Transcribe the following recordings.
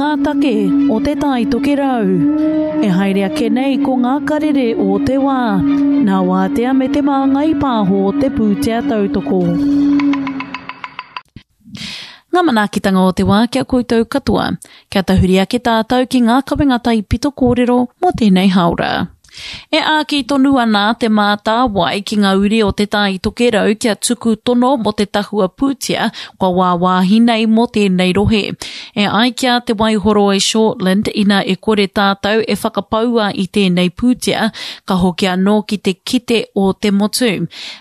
ngā take o Te Tai Tokerau. E haere ake nei ko ngā karere o te wā, nā Wātea me Te Māngai Pāho te pūtea tautoko. Ngā manaakitanga o te wā ki a koutou katoa. Kia tahuri ake tātou ki ngā kawenga taipito kōrero mō tēnei hāora. E āki tonu ana Te Mātāwai ki ngā uri o Te Tai Tokerau kia tuku tono mō te tahua pūtea kua wāwāhi nei mō tēnei rohe. E ai ki a Te Waihoroi Shortland ina e kore tātou e whakapaua i tēnei pūtea, ka hoki anō ki te kite o te motu.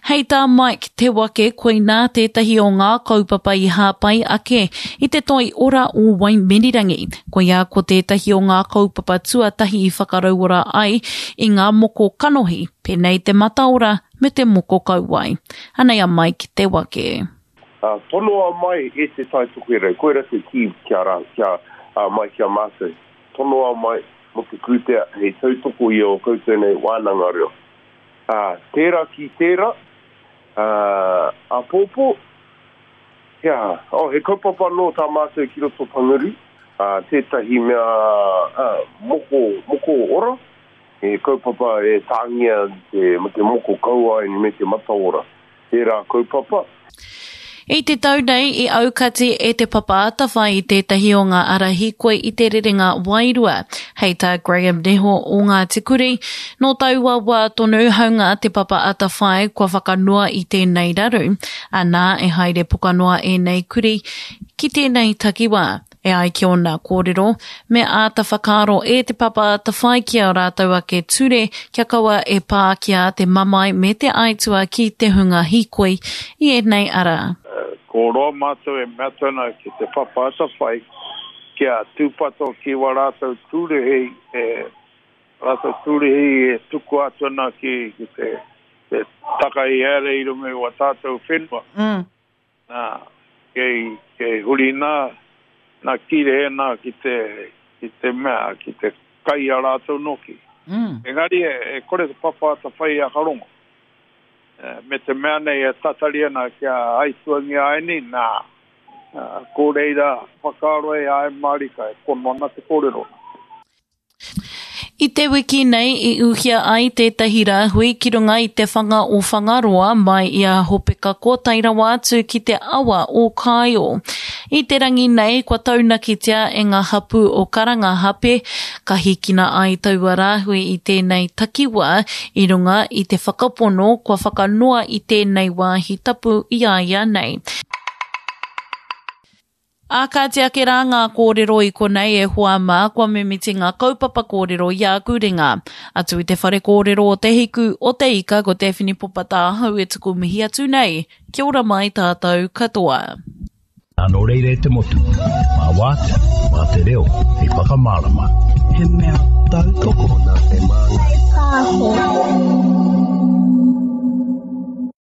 Hei tā Mike Te Wake koinā tētahi o ngā kaupapa i hāpai ake i te toi ora o Waimirirangi. Koia ko tētahi o ngā kaupapa tuatahi i whakarauora ai i ngā moko kanohi, pēnei te mataora me te moko kauae. Anei a Mike Te Wake. Tonoa mai e Te Tai Tokerau, koira te kī kia rā, kia mai ki a mātou. Tonoa mai mō te pūtea hei tautoko i ō koutou nei wānanga reo. Ā, tērā ki tērā, ā, āpōpō, he aha? Oh, he kaupapa anō tā mātou ki roto Panguru, ā, tētahi mea, ā, moko, moko ora, he kaupapa e tāngia te, te moko kauae me te mataora. Tērā kaupapa. I te tau nei i aukati e Te Papa Atawhai i tētahi o ngā ara hīkoi i te rerenga wairua, hei tā Graham Neho o Ngāti Kuri. Nō taua wā tonu haunga Te Papa Atawhai kua whakanoa i tēnei raru, anā e haere pokanoa ēnei kuri ki tēnei takiwā. E ai ki ōna kōrero, me āta whakaaro e Te Papa Atawhai ki ā rātou ake ture kia kaua e pākia te mamae me te aituā ki te hunga hīkoi i ēnei ara. Ko roa mātou e mea atu ana ki Te Papa Atawhai kia tūpato ki wā rātou tūruhi e rātou tūruhi e tukua atu ana ki te takahi haere i runga i wā tātou whenua. Nā, kei, kei huri nā, nā kīrehe nā ki te, ki te mea, ki te kai a rātou nōki. Mm. Engari e, e kore te papa atawhai i a Karongo. E, me te mea nei e tatari ana kia aituangia ai nei, nā, ko reira whakaaro e ae mārika e pono ana te kōrero. I te wiki nei i uhia ai tētahi rāhui ki runga i te whanga o Whangaroa mai i a Hopekako tae rawa atu ki te awa o Kāio. I te rangi nei kua taunakitia e ngā hapū o Karangahape ka hīkina ai taua rāhui i tēnei takiwā i runga i te whakapono kua whakanoa i tēnei wāhi tapu i a ia nei. Ā, kāti ake rā ngā kōrero i konei e hoa mā, kua mimiti ngā kaupapa kōrero i āku ringa. Atu i te whare kōrero o Te Hiku, o Te Ika, ko Daphne Popa tāhau e tuku mihi atu nei. Kia ora mai tātou katoa. Nā nō reira e te motu, mā Wātea, mā te reo hei whakamārama. He mea tautoko nā Te Māngai Pāho.